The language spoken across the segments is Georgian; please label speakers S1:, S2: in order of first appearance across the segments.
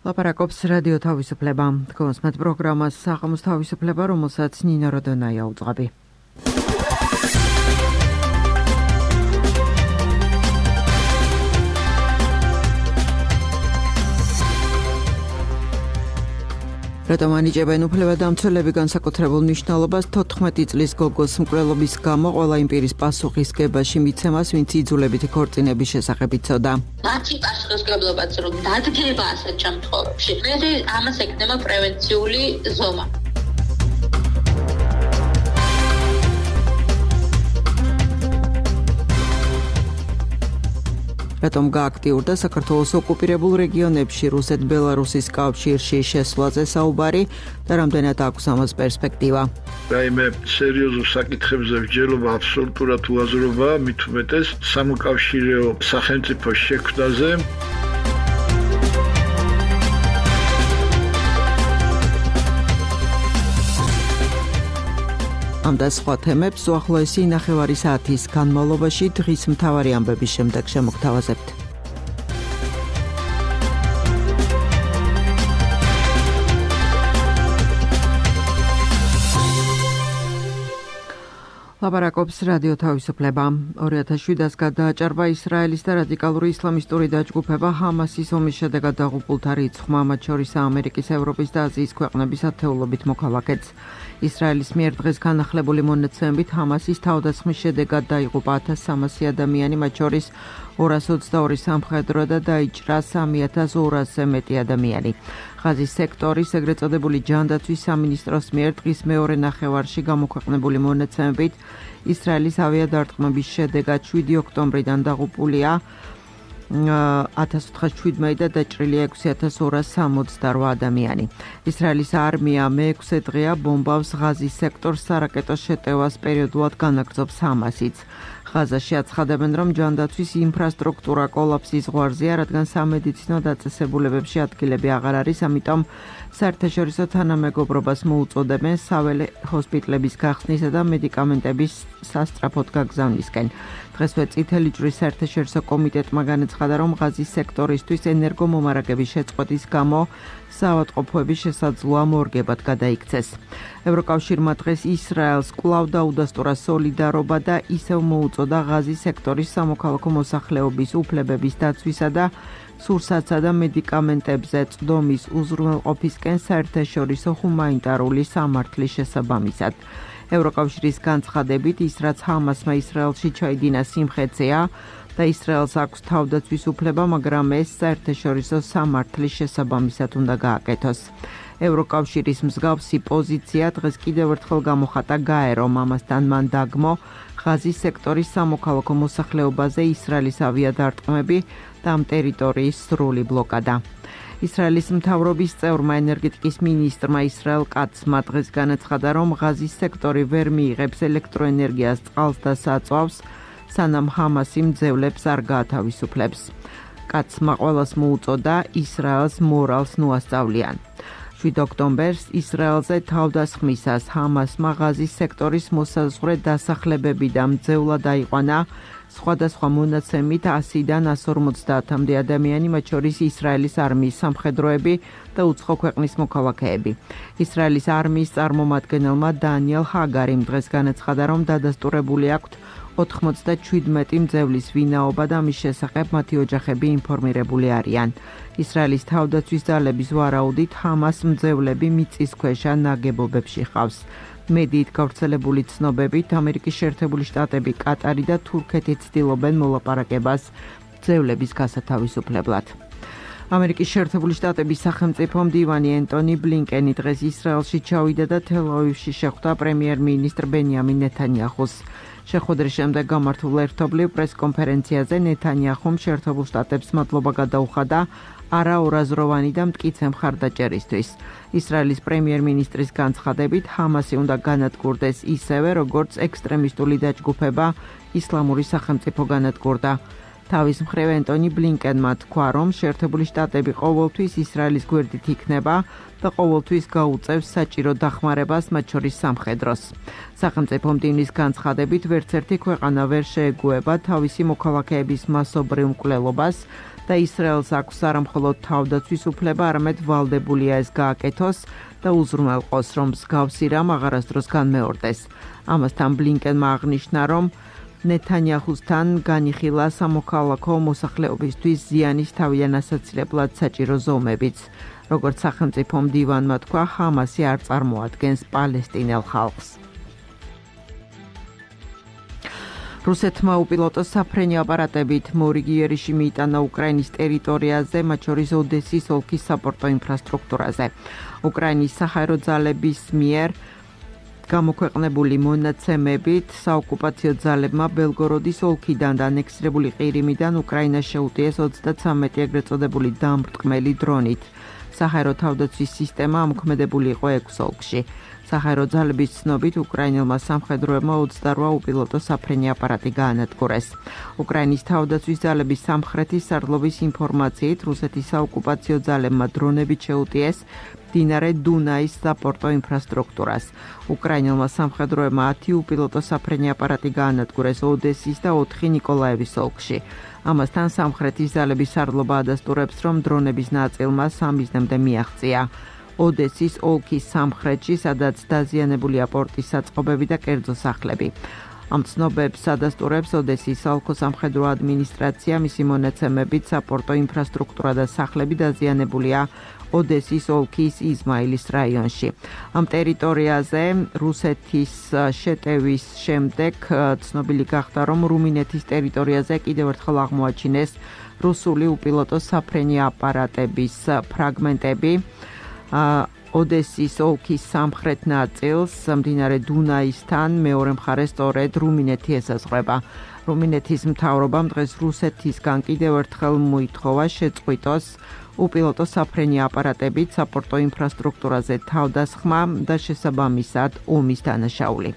S1: ლაპარაკობს რადიო თავისუფლება. თქვენს პროგრამას საღამოს თავისუფლება, რომელსაც ნინო როდონაია უძღვები. რატომ ანიჭებენ უფლებადამცველები განსაკუთრებულ მნიშვნელობას 14 წლის გოგოს მკვლელობის გამო ყველა იმ პირის პასუხისგებაში მიცემას, ვინც იძულებითი ქორწინების შესახებ იცოდა.
S2: მათი პასუხისგებლობაც რომ დადგება ასეთ შემთხვევებში, მე ამას ეკნება პრევენციული ზომა.
S1: რატომ გააქტიურდა საქართველოს ოკუპირებულ რეგიონებში რუსეთ-ბელარუსის კავშირში შესვლაზე საუბარი და რამდენად აქვს ამას პერსპექტივა.
S3: რაიმე სერიოზულ საკითხებზე მსჯელობა აბსოლუტურად უაზრობაა, მით უმეტეს სამოკავშირეო სახელმწიფო შექმნაზე. ამ და სხვა თემებს უახლოესი ნახევარი საათის განმავლობაში დღის მთავარი ამბების შემდეგ შემოგთავაზებთ. ლაპარაკობს რადიო თავისუფლება. 2007-ს გადააჭარბა ისრაელის და რადიკალური ისლამისტური დაჯგუფება ჰამასის ომის შედეგად დაღუპულთა რიცხვმა, მათ შორის ამერიკის, ევროპის და აზიის ქვეყნების ათეულობით მოქალაქეც. ისრაელის მიერ დღეს განახლებული მონაცემებით ჰამასის თავდასხმის შედეგად დაიღუპა 1300 ადამიანი, მათ შორის 222 სამხედრო და დაიჭრა 3200-ზე მეტი ადამიანი. ღაზის სექტორის ეგრეთ წოდებული ჯანდაცვის სამინისტროს მიერ დღის მეორე ნახევარში გამოქვეყნებული მონაცემებით ისრაელის ავიადარტყმების შედეგად 7 ოქტომბრიდან დაღუპულია 1417 და დაჭრილია 6268 ადამიანი. ისრაელის არმია მე-6 დღეა ბომბავს ღაზის სექტორს სარაკეტო შეტევას პერიოდულად განაგრძობს ჰამასიც. ღაზაში აცხადებენ, რომ ჯანდაცვის ინფრასტრუქტურა კოლაფსის ზღვარზეა, რადგან სამედიცინო დაწესებულებებში ადგილები აღარ არის, ამიტომ საერთაშორისო თანამეგობრობას მოუწოდებენ საველე ჰოსპიტლების გახსნისა და მედიკამენტების სასწრაფოდ გაგზავნისკენ. დღესვე წითელი ჯვრის საერთაშორისო კომიტეტმა განაცხადა, რომ ღაზის სექტორისთვის ენერგომომარაგების შეწყვეტის გამო საავადმყოფოების შესაძლოა მორგებად გადაიქცეს. ევროკავშირმა დღეს ისრაელს კვლავ დაუდასტურა სოლიდარობა და ისევ მოუწოდა ღაზის სექტორის სამოქალაქო მოსახლეობის უფლებების დაცვისა და სურსათსა და მედიკამენტებზე წვდომის უზრუნველყოფისკენ საერთაშორისო ჰუმანიტარული სამართლის შესაბამისად. ევროკავშირის განცხადებით, ის რაც ჰამასმა ისრაელში ჩაიდინა სიმხეცეა და ისრაელს აქვს თავდაცვის უფლება, მაგრამ ეს საერთაშორისო სამართლის შესაბამისად უნდა გააკეთოს. ევროკავშირის მსგავსი პოზიცია დღეს კიდევ ერთხელ გამოხატა გაერომ, ამასთან მან დაგმო ღაზის სექტორის სამოქალაქო მოსახლეობაზე ისრაელის ავიადარტყმები და ამ ტერიტორიის სრული ბლოკადა. ისრაელის მთავრობის წევრმა ენერგეტიკის მინისტრმა ისრაელ კაცმა დღეს განაცხადა, რომ ღაზის სექტორი ვერ მიიღებს ელექტროენერგიას, წყალს და საწვავს, სანამ ჰამასი მძევლებს არ გაათავისუფლებს. კაცმა ყველას მოუწოდა ისრაელს მორალს ნუასწავლიან. 7 ოქტომბერს ისრაელზე თავდასხმისას ჰამასმა ღაზის სექტორის მოსაზღვრე დასახლებები და მძევლად აიყვანა სხვადასხვა მონაცემით 100-დან 150-მდე ადამიანი, მათ შორის ისრაელის არმიის სამხედროები და უცხო ქვეყნის მოქალაქეები. ისრაელის არმიის წარმომადგენელმა დანიელ ჰაგარიმ დღეს განაცხადა, რომ დადასტურებული აქვთ 97 მძევლის ვინაობა და მის შესახებ მათი ოჯახები ინფორმირებული არიან. ისრაელის თავდაცვის ძალების ვარაუდით ჰამას მძევლები მიწისქვეშა ნაგებობებში ყავს. მედიით გავრცელებული ცნობებით, ამერიკის შეერთებული შტატები, კატარი და თურქეთი ცდილობენ მოლაპარაკებას მძევლების გასათავისუფლებლად. ამერიკის შეერთებული შტატების სახელმწიფო მდივანი ენტონი ბლინკენი დღეს ისრაელში ჩავიდა და თელ-ავივში შეხვდა პრემიერ-მინისტრ ბენიამინ ნეთანიაჰუს. შეხვედრის შემდეგ გამართულ ერთობლივ პრესკონფერენციაზე ნეთანიაჰუმ შეერთებულ შტატებს მადლობა გადაუხადა არაორაზროვანი და მტკიცე მხარდაჭერისთვის. ისრაელის პრემიერ-მინისტრის განცხადებით, ჰამასი უნდა განადგურდეს ისევე, როგორც ექსტრემისტული დაჯგუფება ისლამური სახელმწიფო განადგურდა. თავის მხრივ ენტონი ბლინკენმა თქვა, რომ შეერთებული შტატები ყოველთვის ისრაელის გვერდით იქნება და ყოველთვის გაუწევს საჭირო დახმარებას, მათ შორის სამხედროს. სახელმწიფო მდივნის განცხადებით, ვერც ერთი ქვეყანა ვერ შეეგუება თავისი მოქალაქეების მასობრივ მკვლელობას და და ისრაელს აქვს არა მხოლოდ თავდაცვის უფლება, არამედ ვალდებულია ეს გააკეთოს და უზრუნველყოს, რომ მსგავსი რამ აღარასდროს განმეორდეს. ამასთან ბლინკენმა აღნიშნა, რომ ნეთანიაჰუსთან განიხილა სამოქალაქო მოსახლეობისთვის ზიანის თავიდან ასაცილებლად საჭირო ზომებიც. როგორც სახელმწიფო მდივანმა თქვა, ჰამასი არ წარმოადგენს პალესტინელ ხალხს. რუსეთმა უპილოტო საფრენი აპარატებით მორიგი იერიში მიიტანა უკრაინის ტერიტორიაზე, მათ შორის ოდესის ოლქის საპორტო ინფრასტრუქტურაზე. უკრაინის საჰაერო ძალების მიერ გამოქვეყნებული მონაცემებით საოკუპაციო ძალებმა ბელგოროდის ოლქიდან და ანექსირებული ყირიმიდან უკრაინას შეუტიეს 33 ეგრეთ წოდებული დამბრტყმელი დრონით. საჰაერო თავდაცვის სისტემა ამოქმედებული იყო 6 ოლქში. საჰაერო ძალების ცნობით უკრაინელმა სამხედროებმა 28 უპილოტო საფრენი აპარატი გაანადგურეს. უკრაინის თავდაცვის ძალების სამხრეთის სარდლობის ინფორმაციით რუსეთის საოკუპაციო ძალებმა დრონებით შეუტიეს მდინარე დუნაის საპორტო ინფრასტრუქტურას. უკრაინელმა სამხედროებმა 10 უპილოტო საფრენი აპარატი გაანადგურეს ოდესის და 4 ნიკოლაევის ოლქში. ამასთან სამხრეთის ძალების სარდლობა ადასტურებს, რომ დრონების ნაწილმა 3 მიზნემდე მიაღწია. ოდესის ოლქის სამხრეთში, სადაც დაზიანებულია პორტის საწყობები და კერძო სახლები. ამ ცნობებს ადასტურებს ოდესის საოლქო სამხედრო ადმინისტრაცია, მისი მონაცემებით საპორტო ინფრასტრუქტურა და სახლები დაზიანებულია ოდესის ოლქის იზმაილის რაიონში. ამ ტერიტორიაზე რუსეთის შეტევის შემდეგ ცნობილი გახდა, რომ რუმინეთის ტერიტორიაზე კიდევ ერთხელ აღმოაჩინეს რუსული უპილოტო საფრენი აპარატების ფრაგმენტები. ოდესის ოლქის სამხრეთ ნაწილს მდინარე დუნაისთან მეორე მხარეს სწორედ რუმინეთი ესაზღვრება. რუმინეთის მთავრობამ დღეს რუსეთისგან კიდევ ერთხელ მოითხოვა შეწყვიტოს უპილოტო საფრენი აპარატებით საპორტო ინფრასტრუქტურაზე თავდასხმა და შესაბამისად ომის დანაშაული.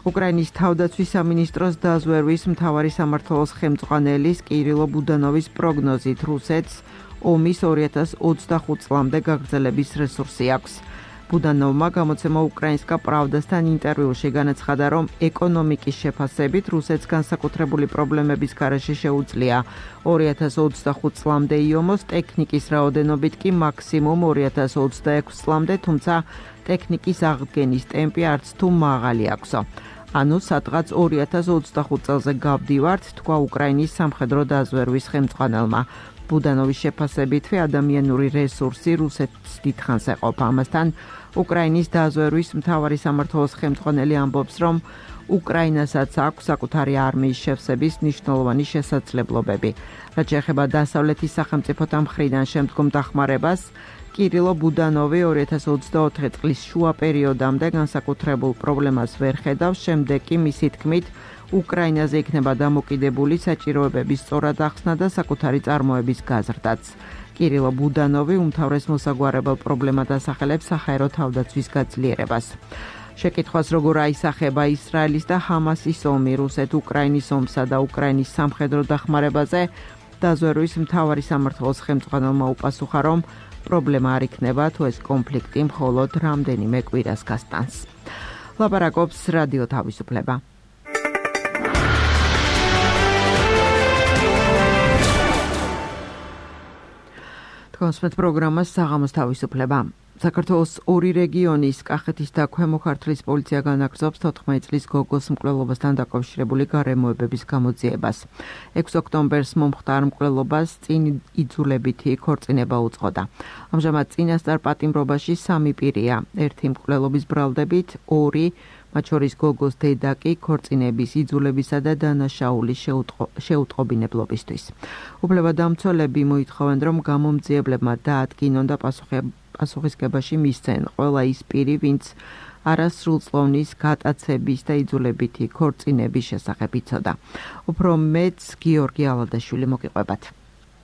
S3: უკრაინის თავდაცვის სამინისტროს დაზვერვის მთავარი სამმართველოს ხელმძღვანელის კირილო ბუდანოვის პროგნოზით რუსეთს ომის 2025 წლამდე გაგრძელების რესურსი აქვს. ბუდანოვმა გამოცემა უკრაინსკა პრავდასთან ინტერვიუში განაცხადა, რომ ეკონომიკის შეფასებით რუსეთს განსაკუთრებული პრობლემების გარეშე შეუძლია 2025 წლამდე იომოს, ტექნიკის რაოდენობით კი მაქსიმუმ 2026 წლამდე, თუმცა ტექნიკის აღდგენის ტემპი არც თუ მაღალი აქვსო. ანუ სადღაც 2025 წელზე გავდივართ, თქვა უკრაინის სამხედრო დაზვერვის ხელმძღვანელმა. ბუდანოვის შეფასებითვე ადამიანური რესურსი რუსეთს დიდხანს ეყოფა. ამასთან უკრაინის დაზვერვის მთავარი სამმართველოს ხელმძღვანელი ამბობს, რომ უკრაინასაც აქვს საკუთარი არმიის შევსების მნიშვნელოვანი შესაძლებლობები. რაც შეეხება დასავლეთის სახელმწიფოთა მხრიდან შემდგომ დახმარებას, კირილო ბუდანოვი 2024 წლის შუა პერიოდამდე განსაკუთრებულ პრობლემას ვერ ხედავს, შემდეგ კი მისი თქმით უკრაინაზე იქნება დამოკიდებული საჭიროებების სწორად ახსნა და საკუთარი წარმოების გაზრდაც. კირილო ბუდანოვი უმთავრეს მოსაგვარებელ პრობლემად ასახელებს საჰაერო თავდაცვის გაძლიერებას. შეკითხვას როგორ აისახება ისრაელის და ჰამასის ომი რუსეთ-უკრაინის ომსა და უკრაინის სამხედრო დახმარებაზე, დაზვერვის მთავარი სამმართველოს ხელმძღვანელმა უპასუხა, რომ პრობლემა არ იქნება, თუ ეს კონფლიქტი მხოლოდ რამდენიმე კვირას გასტანს. ლაპარაკობს რადიო თავისუფლება. კონსპეთ პროგრამას საღამოს თავისუფლება. საქართველოს ორი რეგიონის კახეთის და ქვემო ქართლის პოლიცია განაგრძობს 14 წლის გოგოს მკვლელობასთან დაკავშირებული გარემოებების გამოძიებას. 6 ოქტომბერს მომხდარ მკვლელობას წინ იძულებითი ქორწინება უძღოდა. ამჟამად წინასწარ პატიმრობაში 3 პირია, ერთი მკვლელობის ბრალდებით, 2 მათ შორის გოგოს დედა კი ქორწინების იძულებისა და დანაშაულის შეუტყობინებლობისთვის. უფლებადამცველები მოითხოვენ, რომ გამომძიებლებმა დაადგინონ და პასუხისგებაში მისცენ ყველა ის პირი, ვინც არასრულწლოვნის გატაცების და იძულებითი ქორწინების შესახებ იცოდა. უფრო მეც გიორგი ალადაშვილი მოგიყვებათ.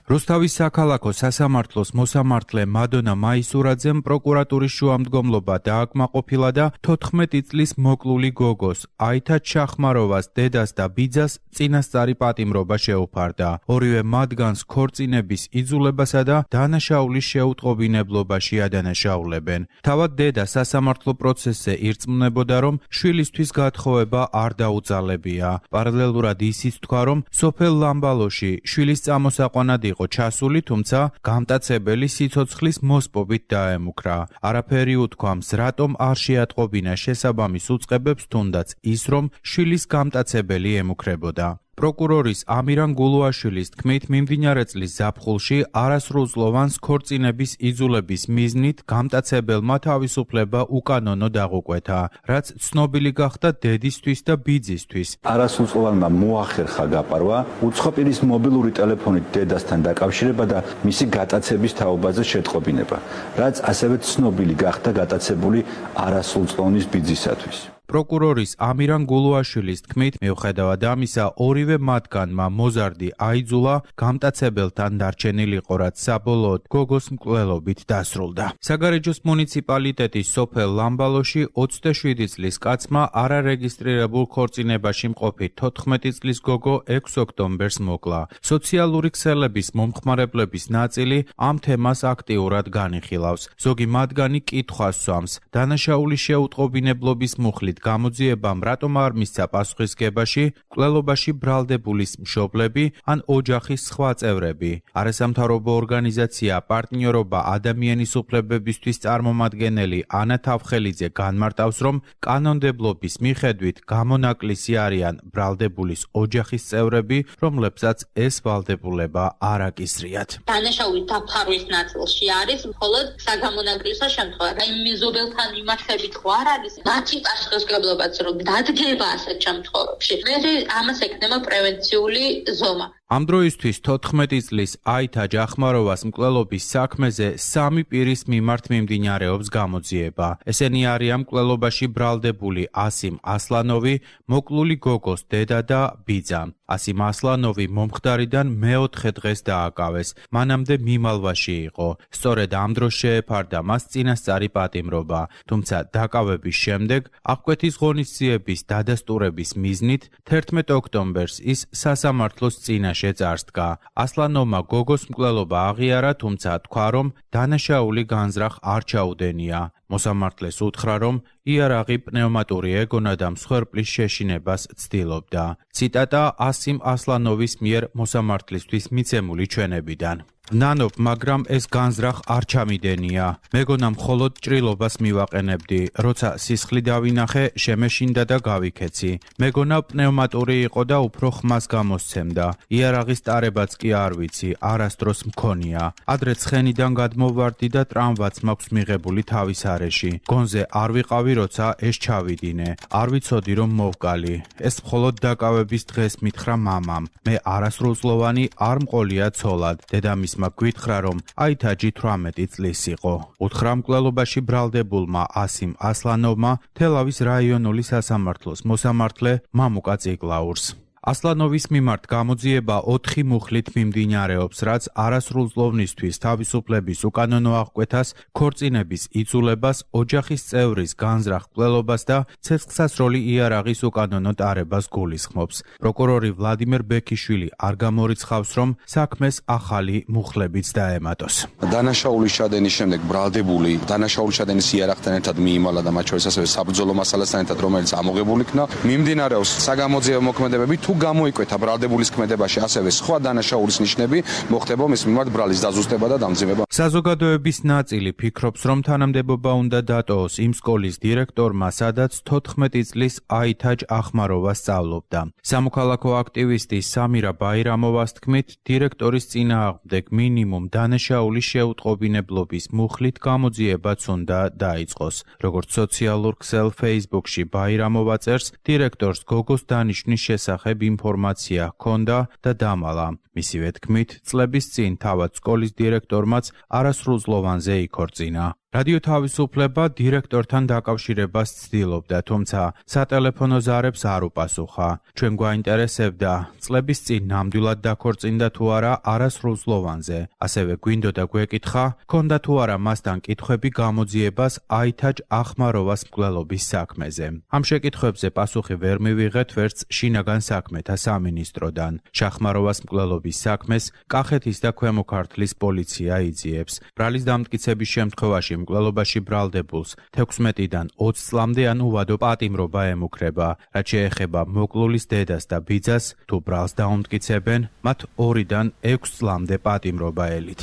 S4: რუსთავის საქალაქო სასამართლოს მოსამართლე მადონა მაისურაძემ პროკურატურის შუამდგომლობა დააკმაყოფილა და 14 წლის მოკლული გოგოს აითა ჩახმაროვას დედას და ბიძას წინასწარი პატიმრობა შეუფარდა. ორივე მათგანს ქორწინების იძულებასა და დანაშაულის შეუტყობინებლობაში ადანაშაულებენ. თავად დედა სასამართლო პროცესზე ირწმუნებოდა, რომ შვილისთვის გათხოვება არ დაუძალებია. პარალელურად ისიც თქვა, რომ სოფელ ლამბალოში შვილის წამოსაყვანად იყო ჩასული, თუმცა გამტაცებელი სიცოცხლის მოსპობით დაემუქრა. არაფერი უთქვამს, რატომ არ შეატყობინა შესაბამის უწყებებს, თუნდაც ის, რომ შვილის გამტაცებელი ემუქრებოდა. პროკურორის ამირან გულუაშვილის თქმით, მიმდინარე წლის ზაფხულში არასრულწლოვანს ქორწინების იძულების მიზნით გამტაცებელმა თავისუფლება უკანონო დაღუკვეთა, რაც ცნობილი გახდა დედისთვის და ბიძისთვის.
S5: არასრულწლოვანმა მოახერხა გაპარვა უცხო პირის მობილური ტელეფონით დედასთან დაკავშირება და მისი გატაცების თაობაზე შეტყობინება, რაც ასევე ცნობილი გახდა გატაცებული არასრულწლოვნის ბიძისათვის.
S4: პროკურორის ამირან გულუაშვილის თქმით, მიუხედავად ამისა, ორივე მათგანმა მოზარდი აიძულა გამტაცებელთან დარჩენილიყო, რაც საბოლოოდ გოგოს მკვლელობით დასრულდა. საგარეჯოს მუნიციპალიტეტის სოფელ ლამბალოში 27 წლის კაცმა არარეგისტრირებულ ქორწინებაში მყოფი 14 წლის გოგო 6 ოქტომბერს მოკლა. სოციალური ქსელების მომხმარებლების ნაწილი ამ თემას აქტიურად განიხილავს. ზოგი მათგანი კითხვას სვამს, დანაშაულის შეუტყობინებლობის მუხლით გამოძიებამ რატომ არ მისცა პასუხისგებაში მკვლელობაში ბრალდებულის მშობლები ან ოჯახის სხვა წევრები. არასამთავრობო ორგანიზაცია პარტნიორობა ადამიანის უფლებებისთვის წარმომადგენელი ანა თავხელიძე განმარტავს, რომ კანონმდებლობის მიხედვით გამონაკლისი არიან ბრალდებულის ოჯახის წევრები, რომლებსაც ეს ვალდებულება არ აკისრიათ.
S2: დანაშაულის დაფარვის ნაწილში არის მხოლოდ საგამონაკლისო შემთხვევა. აი მეზობელთან მიმართებით ხო არ არის მათი პასუხისმგებლობაც რომ დადგება ასეთ შემთხვევებში. მე ამას ეკნება პრევენციული ზომა.
S4: ამ დროისთვის 14 წლის აითა ჯახმაროვას მკვლელობის საქმეზე 3 პირის მიმართ მიმდინარეობს გამოძიება. ესენი არიან მკვლელობაში ბრალდებული ასიმ ასლანოვი, მოკლული გოგოს დედა და ბიძა. ასიმ ასლანოვი მომხდარიდან მეოთხე დღეს დააკავეს. მანამდე მიმალვაში იყო. სწორედ ამ დროს შეეფარდა მას წინასწარი პატიმრობა. თუმცა დაკავების შემდეგ აღკვეთის ღონისძიების დადასტურების მიზნით 11 ოქტომბერს ის სასამართლოს წინაშე შეწარსდგა. ასლანოვმა გოგოს მკვლელობა აღიარა, თუმცა თქვა, რომ დანაშაული განზრახ არ ჩაუდენია. მოსამართლეს უთხრა, რომ იარაღი პნევმატური ეგონა და მსხვერპლის შეშინებას ცდილობდა. ციტატა ასიმ ასლანოვის მიერ მოსამართლისთვის მიცემული ჩვენებიდან. ნანობ, მაგრამ ეს განზრახ არ ჩამიდენია. მეგონა მხოლოდ ჭრილობას მივაყენებდი. როცა სისხლი დავინახე, შემეშინდა და გავიქეცი. მეგონა პნევმატური იყო და უფრო ხმას გამოსცემდა. იარაღის ტარებაც კი არ ვიცი, არასდროს მქონია. ადრე ცხენიდან გადმოვარდი და ტრამვაც მაქვს მიღებული თავის არეში. გონზე არ ვიყავი, როცა ეს ჩავიდინე. არ ვიცოდი, რომ მოვკალი. ეს მხოლოდ დაკავების დღეს მითხრა მამამ. მე არასრულწლოვანი არ მყოლია ცოლად. დედამის გვითხრა, რომ აითაჯი 18 წლის იყო. უთხრა მკვლელობაში ბრალდებულმა ასიმ ასლანოვმა თელავის რაიონული სასამართლოს მოსამართლე მამუკა წიგლაურს. ასლანოვის მიმართ გამოძიება 4 მუხლით მიმდინარეობს, რაც არასრულწლოვნისთვის თავისუფლების უკანონო აღკვეთას, ქორწინების იძულებას, ოჯახის წევრის განზრახ მკვლელობას და ცეცხლსასროლი იარაღის უკანონო ტარებას გულისხმობს. პროკურორი ვლადიმერ ბექიშვილი არ გამორიცხავს, რომ საქმეს ახალი მუხლებიც დაემატოს.
S6: დანაშაულის ჩადენის შემდეგ ბრალდებული დანაშაულის ჩადენის იარაღთან ერთად მიიმალა და მათ შორის ასევე საბრძოლო მასალასთან ერთად, რომელიც ამოღებული იქნა, მიმდინარეობს საგამოძიებო მოქმედებები. თუ გამოიკვეთა ბრალდებულის ქმედებაში ასევე სხვა დანაშაულის ნიშნები, მოხდება მის მიმართ ბრალის დაზუსტება და დამძიმება.
S4: საზოგადოების ნაწილი ფიქრობს, რომ თანამდებობა უნდა დატოოს იმ სკოლის დირექტორმა, სადაც 14 წლის აითაჯ ახმაროვა სწავლობდა. სამოქალაქო აქტივისტი სამირა ბაირამოვას თქმით, დირექტორის წინააღმდეგ მინიმუმ დანაშაულის შეუტყობინებლობის მუხლით გამოძიებაც უნდა დაიწყოს. როგორც სოციალურ ქსელ Facebook-ში ბაირამოვა წერს, დირექტორს გოგოს დანიშვნის შესახებ ინფორმაცია ჰქონდა და დამალა. მისივე თქმით, წლების წინ თავად სკოლის დირექტორმაც არასრულწლოვანზე იქორწინა. რადიო თავისუფლება დირექტორთან დაკავშირებას ცდილობდა, თუმცა სატელეფონო ზარებს არ უპასუხა. ჩვენ გვაინტერესებდა, წლების წინ ნამდვილად დაქორწინდა თუ არა არასრულწლოვანზე. ასევე გვინდოდა გვეკითხა, ჰქონდა თუ არა მასთან კითხვები გამოძიებას აითაჯ ახმაროვას მკვლელობის საქმეზე. ამ შეკითხვებზე პასუხი ვერ მივიღეთ ვერც შინაგან საქმეთა სამინისტროდან. შახმაროვას მკვლელობის საქმეს კახეთის და ქვემო ქართლის პოლიცია იძიებს. ბრალის დამტკიცების შემთხვევაში მკვლელობაში ბრალდებულს 16-დან 20 წლამდე ან უვადო პატიმრობა ემუქრება. რაც შეეხება მოკლულის დედას და ბიძას, თუ ბრალს დაუმტკიცებენ, მათ 2-დან 6 წლამდე პატიმრობა ელით.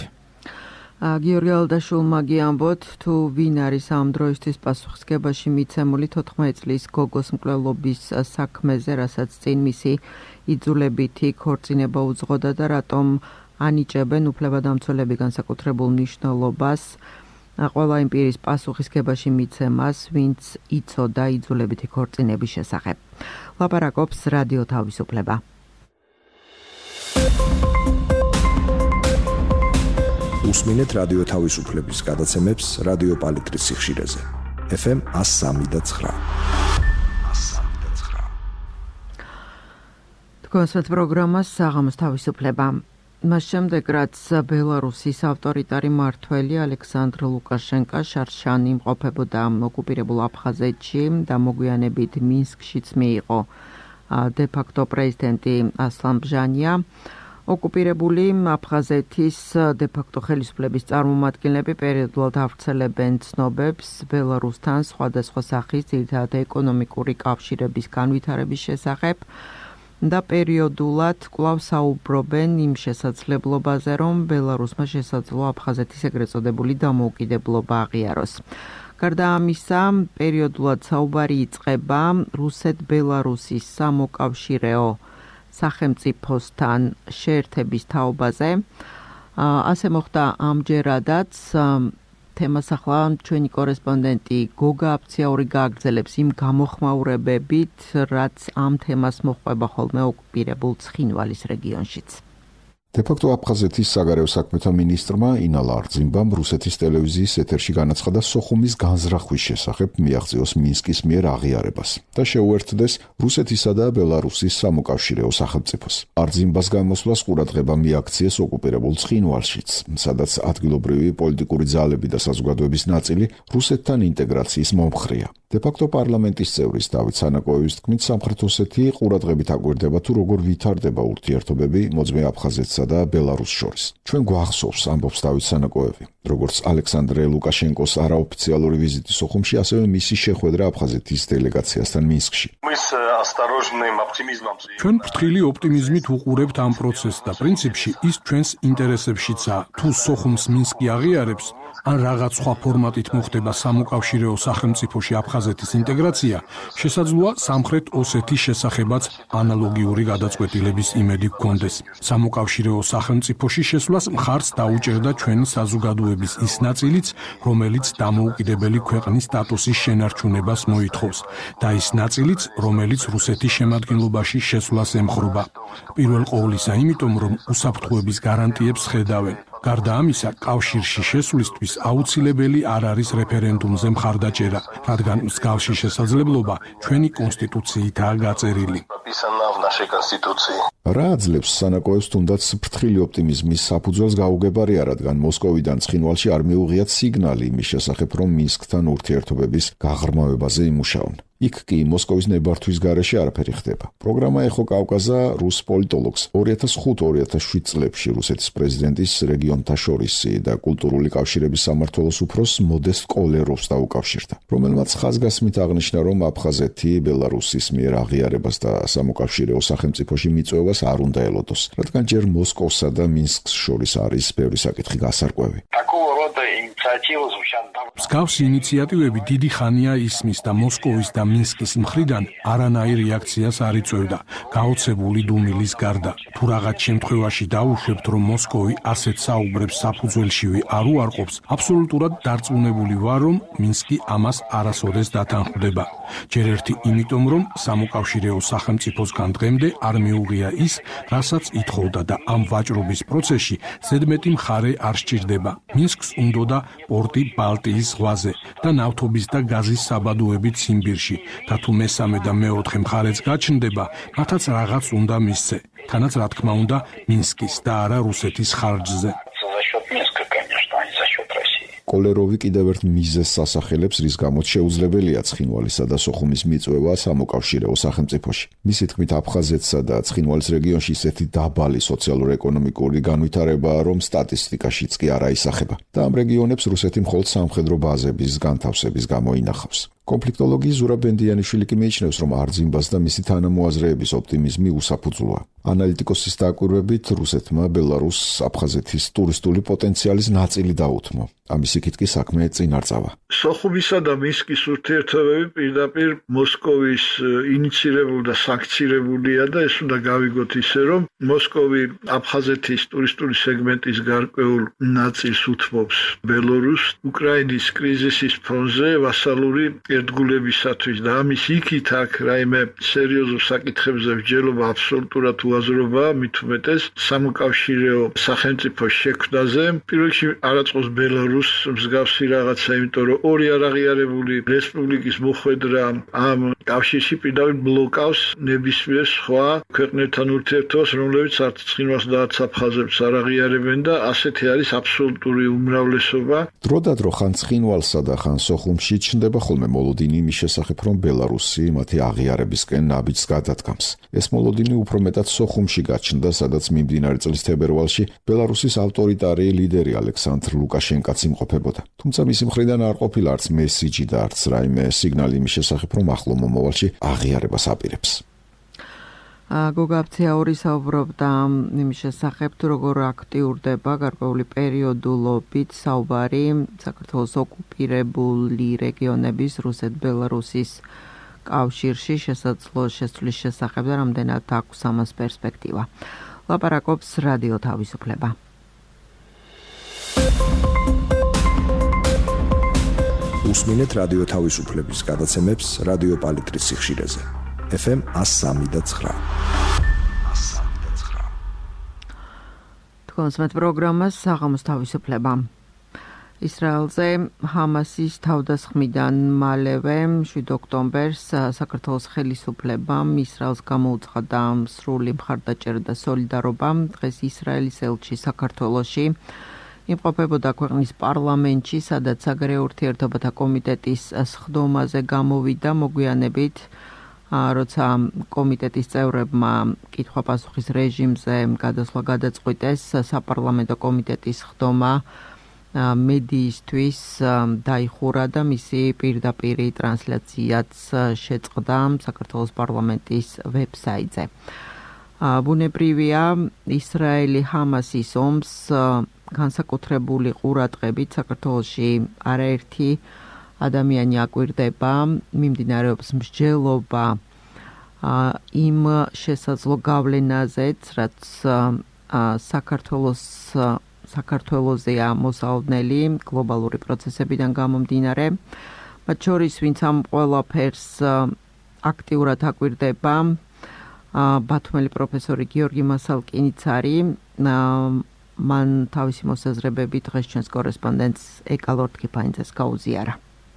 S1: გიორგი ალდაშულმა გიამბოთ, თუ ვინ არის ამ დროისთვის პასუხისგებაში მიცემული 14 წლის გოგოს მკვლელობის საქმეზე, რასაც წინ მისი იძულებითი ქორწინება უძღოდა და რატომ ანიჭებენ უფლებადამცველები განსაკუთრებულ მნიშვნელობას ყველა იმ პირის პასუხისგებაში მიცემას, ვინც იცოდა იძულებითი ქორწინების შესახებ. ლაპარაკობს რადიო თავისუფლება.
S7: უსმინეთ რადიო თავისუფლების გადაცემებს რადიო პალიტრის სიხშირეზე. FM 103.9.
S1: თქვენს პროგრამას საღამოს თავისუფლება. მას შემდეგ, რაც ბელარუსის ავტორიტარი მმართველი ალექსანდრ ლუკაშენკა შარშანი იმყოფებოდა ოკუპირებულ აფხაზეთში და მოგვიანებით მინსკშიც მიიღო დე-ფაქტო პრეზიდენტი ასლან ბჟანია, ოკუპირებული აფხაზეთის დე-ფაქტო ხელისუფლების წარმომადგენლები პერიოდულად ავრცელებენ ცნობებს ბელარუსთან სხვადასხვა სახის ძირითადად ეკონომიკური კავშირების განვითარების შესახებ და პერიოდულად კვლავ საუბრობენ იმ შესაძლებლობაზე, რომ ბელარუსმა შესაძლოა აფხაზეთის ეგრეთ წოდებული დამოუკიდებლობა აღიაროს. გარდა ამისა, პერიოდულად საუბარი იწყება რუსეთ-ბელარუსის სამოკავშირეო სახელმწიფოსთან შეერთების თაობაზე. ასე მოხდა ამჯერადაც. თემას ახლა ჩვენი კორესპონდენტი გოგა აფციაური გააგრძელებს იმ გამოხმაურებებით, რაც ამ თემას მოჰყვება ხოლმე ოკუპირებულ ცხინვალის რეგიონშიც.
S7: დე-ფაქტო აფხაზეთის საგარეო საქმეთა მინისტრმა ინალა არძიმბამ რუსეთის ტელევიზიის ეთერში განაცხადა სოხუმის განზრახვის შესახებ მიაღწიოს მინსკის მიერ აღიარებას და შეუერთდეს რუსეთისა და ბელარუსის სამოკავშირეო სახელმწიფოს. არძიმბას გამოსვლას ყურადღება მიაქციეს ოკუპირებულ ცხინვალშიც, სადაც ადგილობრივი პოლიტიკური ძალები და საზოგადოების ნაწილი რუსეთთან ინტეგრაციის მომხრეა. დე-ფაქტო პარლამენტის წევრის დავით სანაკოევის თქმით, სამხრეთ ოსეთი ყურადღებით აკვირდება თუ როგორ ვითარდება ურთიერთობები მოძმე აფხაზეთსა და ბელარუსს შორის. ჩვენ გვახსოვს, ამბობს დავით სანაკოევი, როგორც ალექსანდრე ლუკაშენკოს არაოფიციალური ვიზიტი სოხუმში, ასევე მისი შეხვედრა აფხაზეთის დელეგაციასთან მინსკში.
S8: ჩვენ ფრთხილი ოპტიმიზმით უყურებთ ამ პროცესს და პრინციპში ის ჩვენს ინტერესებშიცაა. თუ სოხუმს მინსკი აღიარებს, ან რაღაც სხვა ფორმატით მოხდება სამოკავშირეო სახელმწიფოში აფხაზეთის ინტეგრაცია, შესაძლოა სამხრეთ ოსეთის შესახებაც ანალოგიური გადაწყვეტილების იმედი გქონდეს. სამოკავშირეო სახელმწიფოში შესვლას მხარს დაუჭერდა ჩვენი საზოგადოების ის ნაწილიც, რომელიც დამოუკიდებელი ქვეყნის სტატუსის შენარჩუნებას მოითხოვს და ის ნაწილიც, რომელიც რუსეთის შემადგენლობაში შესვლას ემხრობა. პირველ ყოვლისა იმიტომ, რომ უსაფრთხოების გარანტიებს ხედავენ. გარდა ამისა, კავშირში შესვლისთვის აუცილებელი არ არის რეფერენდუმზე მხარდაჭერა, რადგან მსგავსი შესაძლებლობა ჩვენი კონსტიტუციითაა გაწერილი.
S7: რა აძლევს სანაკოევს თუნდაც ფრთხილი ოპტიმიზმის საფუძველს გაუგებარია, რადგან მოსკოვიდან ცხინვალში არ მიუღიათ სიგნალი იმის შესახებ, რომ მინსკთან ურთიერთობების გაღრმავებაზე იმუშაონ. იქ კი მოსკოვის ნებართვის გარეშე არაფერი ხდება. პროგრამა ეხო კავკაზა რუს პოლიტოლოგს 2005-2007 წლებში რუსეთის პრეზიდენტის რეგიონთა შორისი და კულტურული კავშირების სამმართველოს უფროს მოდესტ კოლეროვს დაუკავშირდა, რომელმაც ხაზგასმით აღნიშნა, რომ აფხაზეთი ბელარუსის მიერ აღიარებას და სამოკავშირეო სახელმწიფოში მიწვევას არ უნდა ელოდოს, რადგან ჯერ მოსკოვსა და მინსკს შორის არის ბევრი საკითხი გასარკვევი.
S8: მსგავსი ინიციატივები დიდი ხანია ისმის და მოსკოვის და მინსკის მხრიდან არანაირ რეაქციას არ იწვევდა, გაოცებული დუმილის გარდა. თუ რაღაც შემთხვევაში დაუშვებთ, რომ მოსკოვი ასეთ საუბრებს საფუძველშივე არ უარყოფს, აბსოლუტურად დარწმუნებული ვარ, რომ მინსკი ამას არასოდეს დათანხმდება. ჯერ ერთი იმიტომ, რომ სამოკავშირეო სახელმწიფოსგან დღემდე არ მიუღია ის, რასაც ითხოვდა და ამ ვაჭრობის პროცესში ზედმეტი მხარე არ სჭირდება. მინსკს უნდოდა პორტი ბალტიის ზღვაზე და ნავთობის და გაზის საბადოები ციმბირში და თუ მესამე და მეოთხე მხარეც გაჩნდება, მათაც რაღაც უნდა მისცე. თანაც რა თქმა უნდა მინსკის და არა რუსეთის ხარჯზე.
S7: კოლეროვი კიდევ ერთ მიზეზს ასახელებს, რის გამოც შეუძლებელია ცხინვალისა და სოხუმის მიწვევა სამოკავშირეო სახელმწიფოში. მისი თქმით, აფხაზეთსა და ცხინვალის რეგიონში ისეთი დაბალი სოციალურ-ეკონომიკური განვითარებაა, რომ სტატისტიკაშიც კი არ აისახება. და ამ რეგიონებს რუსეთი მხოლოდ სამხედრო ბაზების განთავსების გამო ინახავს. კონფლიქტოლოგი ზურაბ ბენდიანიშვილი კი მიიჩნევს, რომ არძიმბას და მისი თანამოაზრეების ოპტიმიზმი უსაფუძვლოა. ანალიტიკოსის დაკვირვებით, რუსეთმა ბელარუსს აფხაზეთის ტურისტული პოტენციალის ნაწილი დაუთმო. ამის იქით კი საქმე წინ არ წავა.
S9: სოხუმისა და მინსკის ურთიერთობები პირდაპირ მოსკოვის ინიცირებული და სანქცირებულია და ეს უნდა გავიგოთ ისე, რომ მოსკოვი აფხაზეთის ტურისტული სეგმენტის გარკვეულ ნაწილს უთმობს ბელარუსს უკრაინის კრიზისის ფონზე ვასალური ერთგულებისათვის და ამის იქით აქ რაიმე სერიოზულ საკითხებზე მსჯელობა აბსოლუტურად უაზრობაა, მით უმეტეს სამოკავშირეო სახელმწიფოს შექმნაზე. პირველ რიგში არაწყობს ბელარუსს მსგავსი რაღაცა, იმიტომ რომ ორი არაღიარებული რესპუბლიკის მოხვედრა ამ კავშირში პირდაპირ ბლოკავს ნებისმიერ სხვა ქვეყნებთან ურთიერთობას, რომლებიც არც ცხინვალს და არც აფხაზებს არ აღიარებენ და ასეთი არის აბსოლუტური უმრავლესობა.
S7: დროდადრო ხან ცხინვალსა და ხან სოხუმში ჩნდება ხოლმე მოლოდინი იმის შესახებ, რომ ბელარუსი მათი აღიარებისკენ ნაბიჯს გადადგამს. ეს მოლოდინი უფრო მეტად სოხუმში გაჩნდა, სადაც მიმდინარე წლის თებერვალში ბელარუსის ავტორიტარი ლიდერი ალექსანდრ ლუკაშენკაც იმყოფებოდა. თუმცა მისი მხრიდან არ ყოფილა არც მესიჯი და არც რაიმე სიგნალი იმის შესახებ, რომ ახლო მომავალში აღიარებას აპირებს.
S1: გოგა აფცეაური საუბრობდა იმის შესახებ, თუ როგორ აქტიურდება გარკვეული პერიოდულობით საუბარი საქართველოს ოკუპირებული რეგიონების რუსეთ-ბელარუსის კავშირში შესაძლო შესვლის შესახებ და რამდენად აქვს ამას პერსპექტივა. ლაპარაკობს რადიო თავისუფლება.
S10: უსმინეთ რადიო თავისუფლების გადაცემებს რადიო პალიტრის სიხშირეზე. FM 103.9.
S1: თქვენს პროგრამას საღამოს თავისუფლება. ისრაელზე ჰამასის თავდასხმიდან მალევე 7 ოქტომბერს საქართველოს ხელისუფლებამ ისრაელს გამოუცხადა სრული მხარდაჭერა და სოლიდარობა. დღეს ისრაელის ელჩი საქართველოში იმყოფებოდა ქვეყნის პარლამენტში, სადაც საგარეო ურთიერთობათა კომიტეტის სხდომაზე გამოვიდა მოგვიანებით, როცა კომიტეტის წევრებმა კითხვა-პასუხის რეჟიმზე გადასვლა გადაწყვიტეს, საპარლამენტო კომიტეტის სხდომა მედიისთვის დაიხურა და მისი პირდაპირი ტრანსლაციაც შეწყდა საქართველოს პარლამენტის ვებსაიტზე. ბუნებრივია, ისრაელი ჰამასის ომს განსაკუთრებული ყურადღებით საქართველოში არაერთი ადამიანი აკვირდება, მიმდინარეობს მსჯელობა იმ შესაძლო გავლენაზეც, რაც საქართველოსზეა მოსალოდნელი გლობალური პროცესებიდან გამომდინარე. მათ შორის, ვინც ამ ყველაფერს აქტიურად აკვირდება, ბათუმელი პროფესორი გიორგი მასალკინიც არის. მან თავისი მოსაზრებები დღეს ჩვენს კორესპონდენტს ეკალორდ კიფაინძეს გაუზიარა.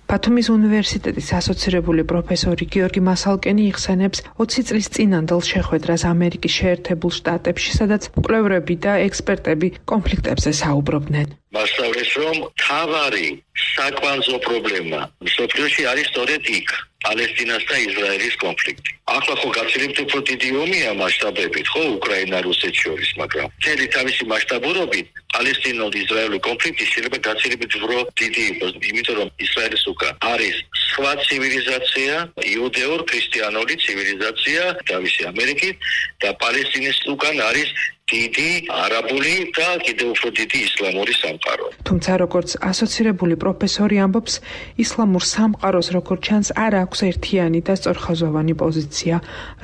S11: ბათუმის უნივერსიტეტის ასოცირებული პროფესორი გიორგი მასალკენი იხსენებს 20 წლის წინანდელ შეხვედრას ამერიკის შეერთებულ შტატებში, სადაც მკვლევრები და ექსპერტები კონფლიქტებზე საუბრობდნენ.
S12: მასწავლეს, რომ თავარი საკვანძო პრობლემა მსოფლიოში არის სწორედ იქ, პალესტინას და ისრაელის კონფლიქტი. ახლა ხო გაცილებით უფრო დიდი ომია მასშტაბებით, ხო, უკრაინა-რუსეთს შორის, მაგრამ მთელი თავისი მასშტაბურობით პალესტინო-ისრაელური კონფლიქტი შეიძლება გაცილებით უფრო დიდი იყოს, იმიტომ რომ ისრაელის უკან არის სხვა ცივილიზაცია, იუდეურ-ქრისტიანული ცივილიზაცია, თავისი ამერიკით და პალესტინის უკან არის დიდი არაბული და კიდევ უფრო დიდი ისლამური სამყარო.
S11: თუმცა როგორც ასოცირებული პროფესორი ამბობს, ისლამურ სამყაროს როგორც ჩანს არ აქვს ერთიანი და სწორხაზოვანი პოზიცია.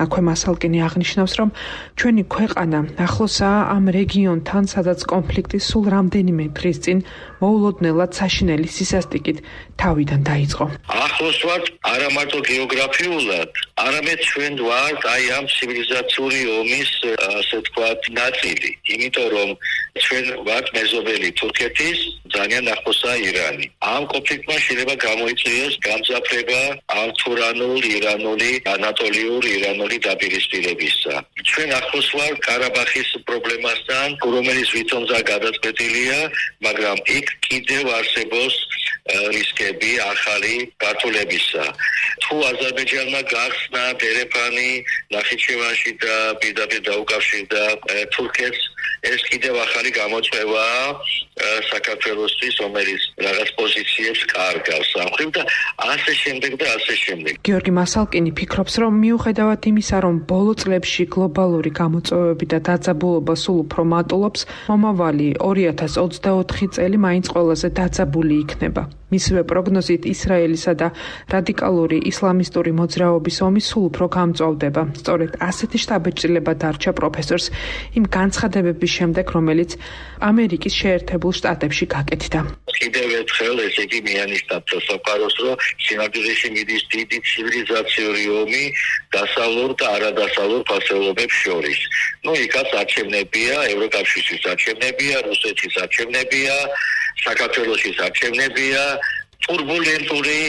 S11: აქვე მასალკინი აღნიშნავს, რომ ჩვენი ქვეყანა ახლოსაა ამ რეგიონთან, სადაც კონფლიქტი სულ რამდენიმე დღის წინ მოულოდნელად საშინელი სისასტიკით თავიდან დაიწყო.
S12: ახლოს ვართ არა მარტო გეოგრაფიულად, არამედ ჩვენ ვართ აი ამ ცივილიზაციური ომის, ასე თქვათ, ნაწილი, იმიტომ რომ ჩვენ ვართ მეზობელი თურქეთის, ძალიან ახლოსაა ირანი. ამ კონფლიქტმა შეიძლება გამოიწვიოს გამძაფრება ამ თურანულ, ირანული, ანატოლიური ირანული დაპირისპირებისა. ჩვენ ახლოს ვართ ყარაბაღის პრობლემასთან, რომელიც ვითომზა გადაწყვეტილია, მაგრამ იქ კიდევ არსებობს რისკები ახალი გართულებისა. თუ აზერბაიჯანმა გახსნა დერეფანი ნახიჩევანში და პირდაპირ დაუკავშირდა თურქეთს, ეს კიდევ ახალი გამოწვევაა საქართველოსთვის, რომელიც რაღაც პოზიციებს კარგავს სამხრივ და ასე შემდეგ და ასე შემდეგ.
S11: გიორგი მასალკინი ფიქრობს, რომ მიუხედავად იმისა, რომ ბოლო წლებში გლობალური გამოწვევები და დაძაბულობა სულ უფრო მატულობს, მომავალი 2024 წელი მაინც ყველაზე დაძაბული იქნება. მისივე პროგნოზით ისრაელისა და რადიკალური ისლამისტური მოძრაობის ომი სულ უფრო გამწვავდება. სწორედ ასეთი შთაბეჭდილება დარჩა პროფესორს იმ განცხადებების შემდეგ, რომელიც ამერიკის შეერთებულ შტატებში გაკეთდა.
S12: კიდევ ერთხელ ესე იგი მიანიშნებთ საფაროს, რომ სინამდვილეში მიდის დიდი ცივილიზაციური ომი დასავლურ და არადასავლურ ფასეულობებს შორის. იქაც არჩევნებია, ევროკავშირის არჩევნებია, რუსეთის არჩევნებია, საქართველოსის არჩევნებია, ტურბულენტური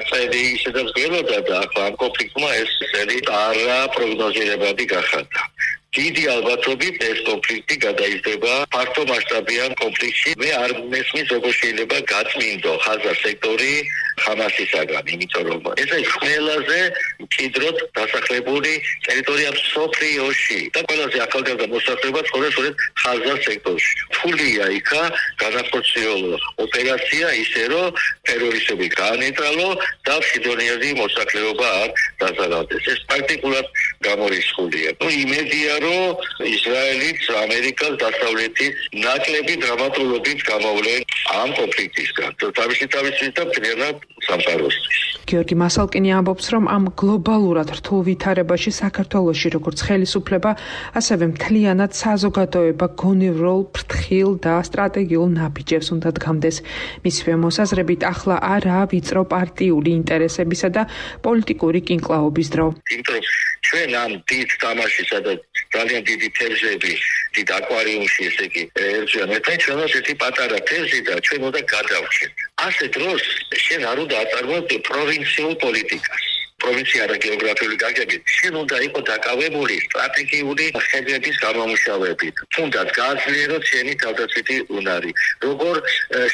S12: წელი ისედაც გველოდა და ახლა ამ კონფლიქტმა ეს წელი არაპროგნოზირებადი გახადა. დიდი ალბათობით ეს კონფლიქტი გადაიზრდება ფართო მასშტაბიან კონფლიქტში. მე არ მესმის როგორ შეიძლება გაწმინდო ხაზარ სექტორი ხამასისაგან, იმიტომ რომ ეს არის ყველაზე მჭიდროდ დასახლებული ტერიტორია მსოფლიოში და ყველაზე ახალგაზრდა მოსახლეობა ცხოვრობს ხაზარ სექტორში. რთულია იქა განახორციელო ოპერაცია ისე, რომ ტერორისტები გაანეტრალო და მშვიდობიანი მოსახლეობა არ დაზარალდეს. ეს პრაქტიკულად გამორიცხულია. იმედია, რომ ისრაელიც, ამერიკას, დასავლეთის ნაკლები დრამატულობით გამოვლენ ამ კონფლიქტისგან. თავისი და მთლიანად სამყაროსთვის.
S11: გიორგი მასალკინი ამბობს, რომ ამ გლობალურად რთულ ვითარებაში საქართველოში როგორც ხელისუფლება, ასევე მთლიანად საზოგადოება გონივრულ, ფრთხილ და სტრატეგიულ ნაბიჯებს უნდა დგამდეს. მისივე მოსაზრებით, ახლა არაა ვიწრო პარტიული ინტერესებისა და პოლიტიკური კინკლაობის დრო.
S12: ჩვენ ამ დიდ თამაშისა და ძალიან დიდი თევზები, დიდ აკვარიუმში, ესე იგი, ერთიან ერთად ჩვენს ერთი პატარა თევზი და ჩვენ უნდა გადავჭირთ. ასე დროს შენ არ უნდა აწარმოებდე პროვინციულ პოლიტიკას. პროვინცია და გეოგრაფიული გაგებით შენ უნდა იყო დაკავებული სტრატეგიული ხედვების გამომუშავებით. თუნდაც გააძლიეროთ შენი თავდაცვითი უნარი. როგორ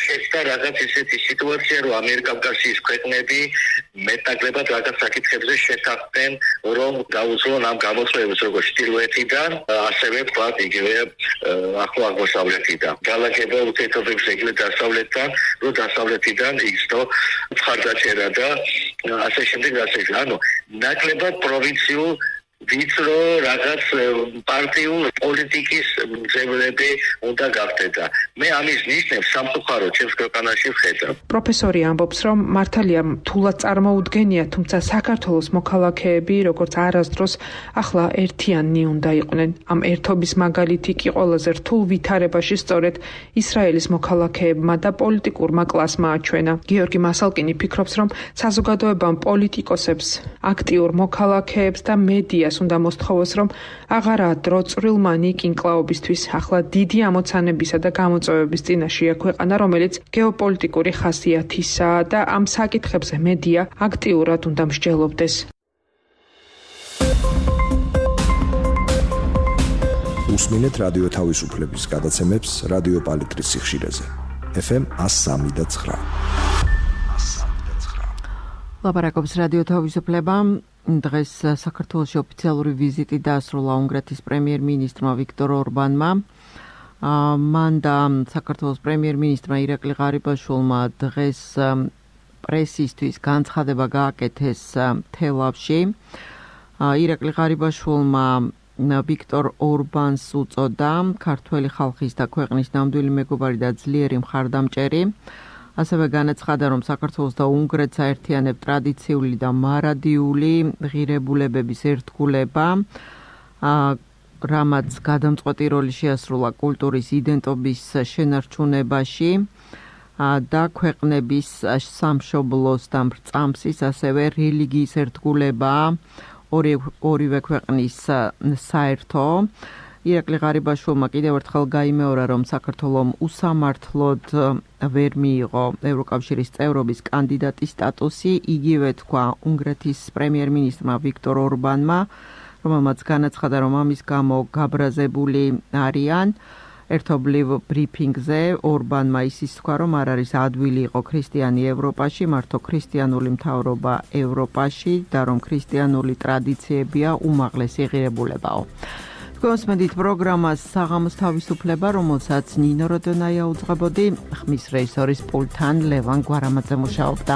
S12: შეცდა რაღაც ისეთი სიტუაცია, რომ ამიერკავკასიის ქვეყნები მეტნაკლებად რაღაც საკითხებზე შეთანხმდნენ, რომ დაუძლონ ამ გამოწვევებს როგორც ჩრდილოეთიდან, ასევე თქვათ იგივე ახლო აღმოსავლეთიდან. გალაგება ურთიერთობებს ეგრეთ დასავლეთთან, რომ დასავლეთიდან იგრძნო მხარდაჭერა და ასე შემდეგ და ასე. ნაკლებად პროვინციულ ვიწრო რაღაც პარტიულ პოლიტიკის მძევლები უნდა გახდეთ. მე ამის ნიშნებს სამწუხაროდ ჩემს ქვეყანაში ვხედავ.
S11: პროფესორი ამბობს, რომ მართალია თულად წარმოუდგენია, თუმცა საქართველოს მოქალაქეები, როგორც არასდროს ახლა ერთიანნი უნდა იყვნენ. ამ ერთობის მაგალითი კი ყველაზე რთულ ვითარებაში სწორედ ისრაელის მოქალაქეებმა და პოლიტიკურმა კლასმა აჩვენა. გიორგი მასალკინი ფიქრობს, რომ საზოგადოებამ პოლიტიკოსებს, აქტიურ მოქალაქეებს და მედია უნდა მოსთხოვოს, რომ აღარაა დრო წვრილმანი კინკლაობისთვის. ახლა დიდი ამოცანებისა და გამოწვევების წინაშეა ქვეყანა, რომელიც გეოპოლიტიკური ხასიათისაა და ამ საკითხებზე მედია აქტიურად უნდა მსჯელობდეს.
S10: უსმინეთ რადიო თავისუფლების გადაცემებს რადიო პალიტრის სიხშირეზე. FM 103.9.
S3: ლაპარაკობს რადიო თავისუფლება. დღეს საქართველოში ოფიციალური ვიზიტი დაასრულა უნგრეთის პრემიერ-მინისტრმა ვიქტორ ორბანმა. მან და საქართველოს პრემიერ-მინისტრმა ირაკლი ღარიბაშვილმა დღეს პრესისთვის განცხადება გააკეთეს თელავში. ირაკლი ღარიბაშვილმა ვიქტორ ორბანს უწოდა ქართველი ხალხის და ქვეყნის ნამდვილი მეგობარი და ძლიერი მხარდამჭერი. ასევე განაცხადა, რომ საქართველოს და უნგრეთს აერთიანებს ტრადიციული და მარადიული ღირებულებების ერთგულება, რამაც გადამწყვეტი როლი შეასრულა კულტურის იდენტობის შენარჩუნებაში და ქვეყნების სამშობლოს და მრწამსის, ასევე რელიგიის ერთგულება ორივე ქვეყნის საერთო.
S1: ირაკლი ღარიბაშვილმა კიდევ ერთხელ გაიმეორა, რომ საქართველომ უსამართლოდ ვერ მიიღო ევროკავშირის წევრობის კანდიდატის სტატუსი. იგივე თქვა უნგრეთის პრემიერ-მინისტრმა ვიქტორ ორბანმა, რომელმაც განაცხადა, რომ ამის გამო გაბრაზებული არიან. ერთობლივ ბრიფინგზე ორბანმა ისიც თქვა, რომ არ არის ადვილი იყო ქრისტიანი ევროპაში, მართო ქრისტიანული მთავრობა ევროპაში და რომ ქრისტიანული ტრადიციებია უმაღლესი ღირებულებაო. გოსმედით პროგრამას საღამოს თავისუფლება, რომელსაც ნინო როდონაია უძღვებოდი, ხმის რეჟისორის პულტთან ლევან გვარამაძე მუშაობდა.